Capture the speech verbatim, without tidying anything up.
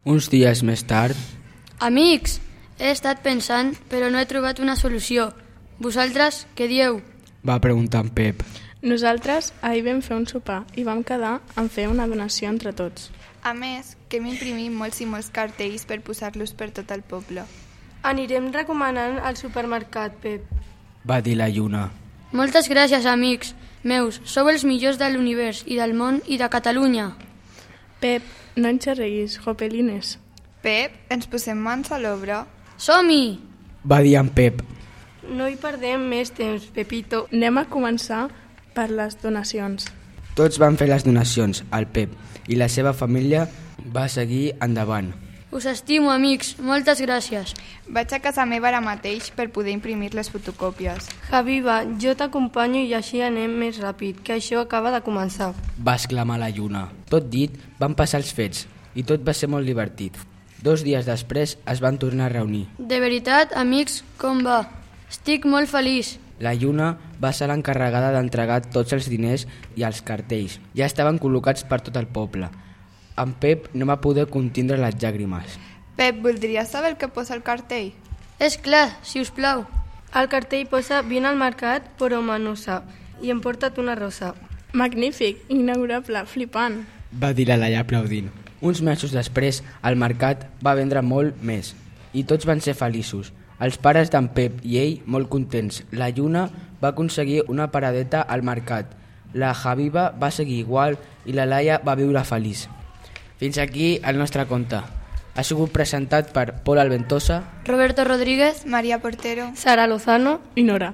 Uns dies més tard... Amics, he estat pensant, però no he trobat una solució. Vosaltres, què dieu? Va preguntar en Pep. Nosaltres ahir vam fer un sopar i vam quedar en fer una donació entre tots. A més, que hem imprimit molts i molts cartells per posar-los per tot el poble. Anirem recomanant al supermercat, Pep. Va dir la Lluna. Moltes gràcies, amics meus. Sou els millors de l'univers i del món i de Catalunya. Pep, no ens xerreguis, jopelines. Pep, ens posem mans a l'obra? Som-hi! Va dir en Pep. No hi perdem més temps, Pepito. Anem a començar per les donacions. Tots van fer les donacions, el Pep, i la seva família va seguir endavant. Us estimo, amics. Moltes gràcies. Vaig a casa meva ara mateix per poder imprimir les fotocòpies. Javiva, jo t'acompanyo i així anem més ràpid, que això acaba de començar. Va exclamar la Lluna. Tot dit, van passar els fets, i tot va ser molt divertit. Dos dies després es van tornar a reunir. De veritat, amics, com va? Estic molt feliç. La Lluna va ser l'encarregada d'entregar tots els diners i els cartells. Ja estaven col·locats per tot el poble. En Pep no va poder contindre les llàgrimes. Pep, voldries saber el que posa el cartell? És clar, si us plau. El cartell posa vine al mercat, però manosa, i emporta't una rosa. Magnífic, inaugurable, flipant. Va dir la Laia aplaudint. Uns mesos després, el mercat va vendre molt més i tots van ser feliços. Els pares d'en Pep i ell molt contents. La Lluna va aconseguir una paradeta al mercat. La Javiva va seguir igual i la Laia va viure feliç. Fins aquí el nostre conte. Ha sigut presentat per Pol Alventosa, Roberto Rodríguez, Maria Portero, Sara Lozano I Nora.